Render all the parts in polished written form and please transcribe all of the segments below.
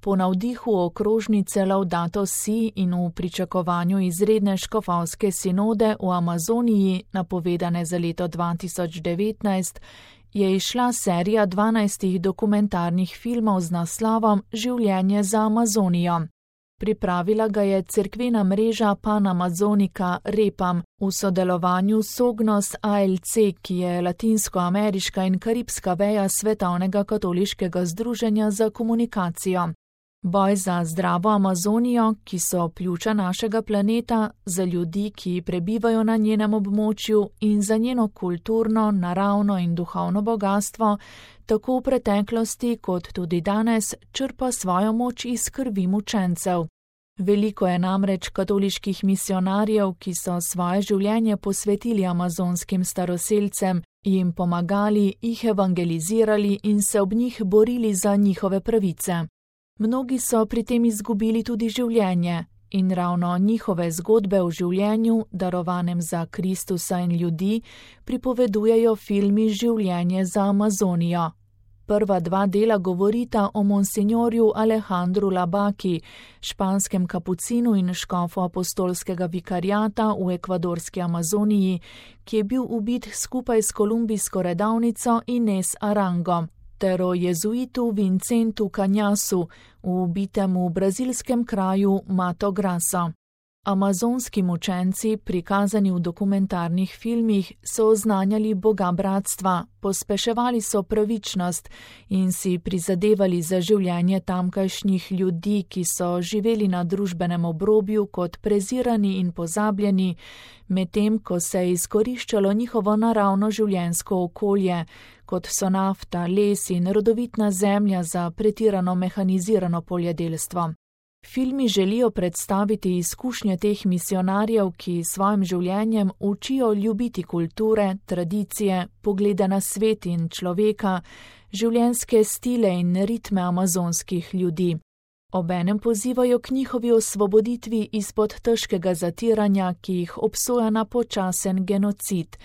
Po navdihu okrožnice Laudato Si in v pričakovanju izredne škofovske sinode v Amazoniji, napovedane za leto 2019, je izšla serija 12 dokumentarnih filmov z naslovom Življenje za Amazonijo. Pripravila ga je cerkvena mreža Panamazonica Repam v sodelovanju s Sognos ALC, ki je latinskoameriška in karibska veja Svetovnega katoliškega združenja za komunikacijo. Boj za zdravo Amazonijo, ki so pljuča našega planeta, za ljudi, ki prebivajo na njenem območju in za njeno kulturno, naravno in duhovno bogastvo, tako v preteklosti kot tudi danes črpa svojo moč iz krvi mučencev. Veliko je namreč katoliških misionarjev, ki so svoje življenje posvetili amazonskim staroselcem, jim pomagali, jih evangelizirali in se ob njih borili za njihove pravice. Mnogi so pri tem izgubili tudi življenje in ravno njihove zgodbe o življenju, darovanem za Kristusa in ljudi, pripovedujejo filmi Življenje za Amazonijo. Prva dva dela govorita o monsinjorju Alejandru Labaki, španskem kapucinu in škofu apostolskega vikariata v ekvadorski Amazoniji, ki je bil ubit skupaj s kolumbijsko redavnico Inés Arango, ter o jezuitu Vincentu Canhasu, ubitem v brazilskem kraju Mato Grosso. Amazonski mučenci, prikazani v dokumentarnih filmih, so oznanjali Boga bratstva, pospeševali so pravičnost in si prizadevali za življenje tamkajšnjih ljudi, ki so živeli na družbenem obrobju kot prezirani in pozabljeni, medtem ko se je izkoriščalo njihovo naravno življenjsko okolje, kot so nafta, les in rodovitna zemlja za pretirano mehanizirano poljedelstvo. Filmi želijo predstaviti izkušnje teh misionarjev, ki svojim življenjem učijo ljubiti kulture, tradicije, poglede na svet in človeka, življenjske stile in ritme amazonskih ljudi. Obenem pozivajo k njihovi osvoboditvi izpod težkega zatiranja, ki jih obsoja na počasen genocid.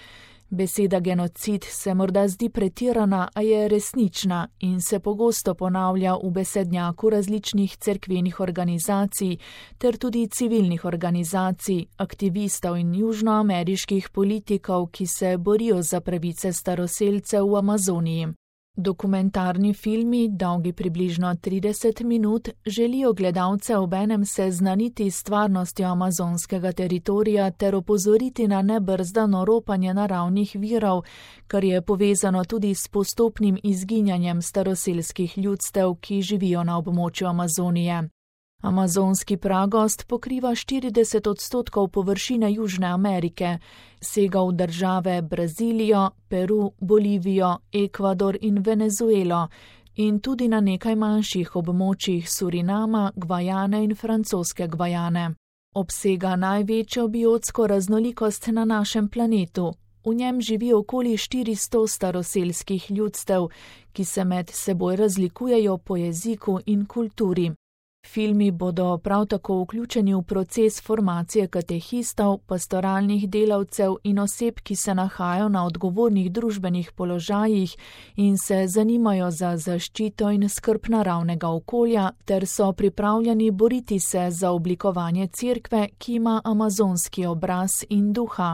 Beseda genocid se morda zdi pretirana, a je resnična in se pogosto ponavlja v besednjaku različnih cerkvenih organizacij ter tudi civilnih organizacij, aktivistov in južnoameriških politikov, ki se borijo za pravice staroselcev v Amazoniji. Dokumentarni filmi, dolgi približno 30 minut, želijo gledalce obenem seznaniti s stvarnostjo amazonskega teritorija ter opozoriti na nebrzdano ropanje naravnih virov, kar je povezano tudi s postopnim izginjanjem staroselskih ljudstev, ki živijo na območju Amazonije. Amazonski pragost pokriva 40% površine Južne Amerike, sega v države Brazilijo, Peru, Bolivijo, Ekvador in Venezuelo in tudi na nekaj manjših območjih Surinama, Gvajane in francoske Gvajane. Obsega največjo biotsko raznolikost na našem planetu. V njem živi okoli 400 staroselskih ljudstev, ki se med seboj razlikujejo po jeziku in kulturi. Filmi bodo prav tako vključeni v proces formacije katehistov, pastoralnih delavcev in oseb, ki se nahajajo na odgovornih družbenih položajih in se zanimajo za zaščito in skrb naravnega okolja ter so pripravljeni boriti se za oblikovanje cerkve, ki ima amazonski obraz in duha.